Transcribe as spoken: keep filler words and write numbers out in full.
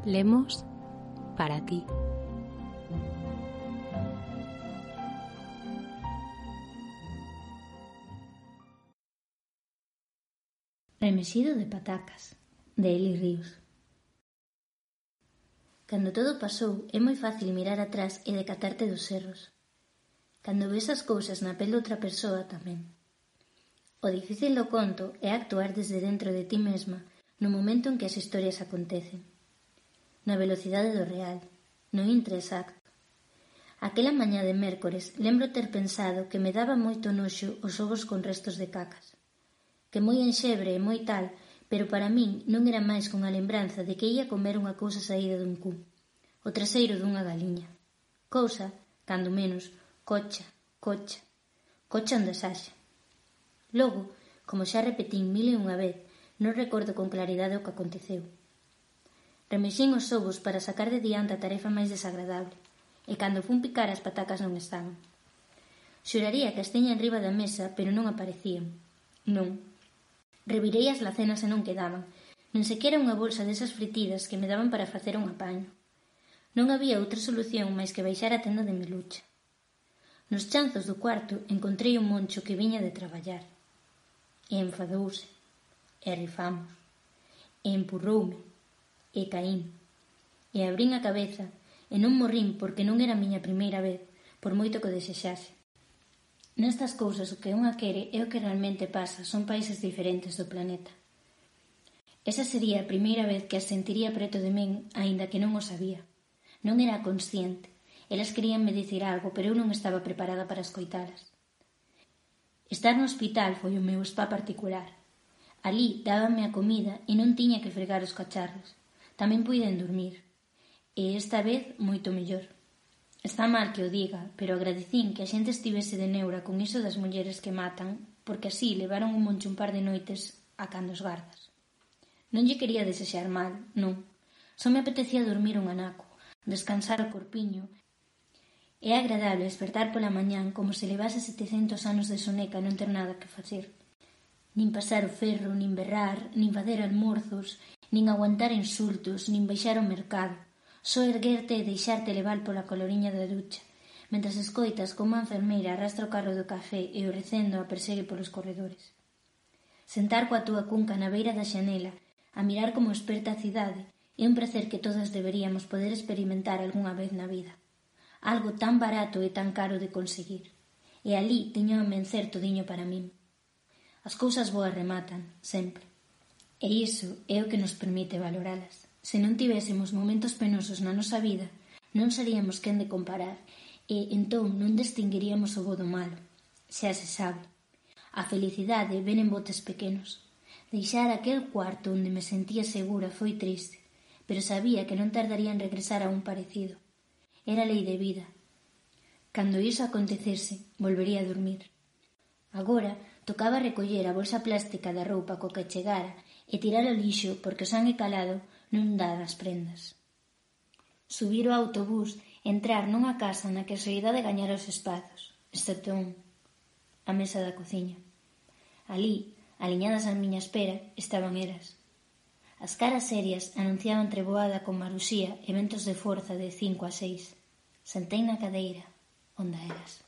Lemos para ti. Remexido de patacas, de Eli Ríos. Cando todo pasou, é moi fácil mirar atrás e decatarte dos erros. Cando ves as cousas na pel doutra persoa tamén. O difícil do conto é actuar desde dentro de ti mesma no momento en que as historias acontecen. Na velocidade do real, no intre exacto. Aquela mañá de mércores lembro ter pensado que me daba moito noxo os ovos con restos de cacas. Que moi enxebre e moi tal, pero para min non era máis que unha lembranza de que ia comer unha cousa saída dun cu, o traseiro dunha galiña. Cousa, cando menos, cocha, cocha, cocha onde saxa. Logo, como xa repetín mil e unha vez, non recordo con claridade o que aconteceu. Remexín os ovos para sacar de diante a tarefa máis desagradable, e cando fun picar as patacas non estaban. Xuraría que as tiña enriba da mesa, pero non aparecían. Non. Revirei as lacenas e non quedaban, nen sequera unha bolsa desas fritidas que me daban para facer un apaño. Non había outra solución máis que baixar a tenda de Milucha. Nos chanzos do cuarto encontrei un moncho que viña de traballar. E enfadouse. E rifamos. E empurroume. E caín. E abrín a cabeza e non morrín porque non era a miña primeira vez, por moito que o desexase. Nestas cousas o que unha quere e o que realmente pasa son países diferentes do planeta. Esa sería a primeira vez que as sentiría preto de min, aínda que non o sabía. Non era consciente. Elas queríanme dicir algo, pero eu non estaba preparada para escoitalas. Estar no hospital foi o meu spa particular. Alí dábanme a comida e non tiña que fregar os cacharros. Tamén puiden dormir. E esta vez moito mellor. Está mal que o diga, pero agradecín que a xente estivese de neura con iso das mulleres que matan, porque así levaron un moncho un par de noites a cando os gardas. Non lle quería desexar mal, non. Só me apetecía dormir un anaco, descansar o corpiño. É agradable despertar pola mañán como se levase setecentos anos de soneca e non ter nada que facer. Nin pasar o ferro, nin berrar, nin facer almorzos, nin aguantar insultos, nin baixar ao mercado. Só erguerte e deixarte levar pola coloriña da ducha, mentras escoitas como a enfermeira arrastra o carro do café e o recendo a persegue polos corredores. Sentar coa túa cunca na beira da xanela, a mirar como esperta a cidade, é un prazer que todas deberíamos poder experimentar algunha vez na vida. Algo tan barato e tan caro de conseguir. E alí teño a mencer todiño para min. As cousas boas rematan, sempre. E iso é o que nos permite valoralas. Se non tivésemos momentos penosos na nosa vida, non seríamos quen de comparar e, entón, non distinguiríamos o bo do malo. Xa se sabe. A felicidade ven en botes pequenos. Deixar aquel cuarto onde me sentía segura foi triste, pero sabía que non tardaría en regresar a un parecido. Era lei de vida. Cando iso acontecese, volvería a dormir. Agora, tocaba recoller a bolsa plástica da roupa co que chegara e tirar ao lixo porque o sangue calado non dá das prendas. Subir o autobús e entrar nunha casa na que a soidade gañara os espazos, excepto un, a mesa da cociña. Alí, aliñadas á miña espera, estaban eras. As caras serias anunciaban treboada con maruxía e ventos de forza de cinco a seis. Sentei na cadeira, onde eras.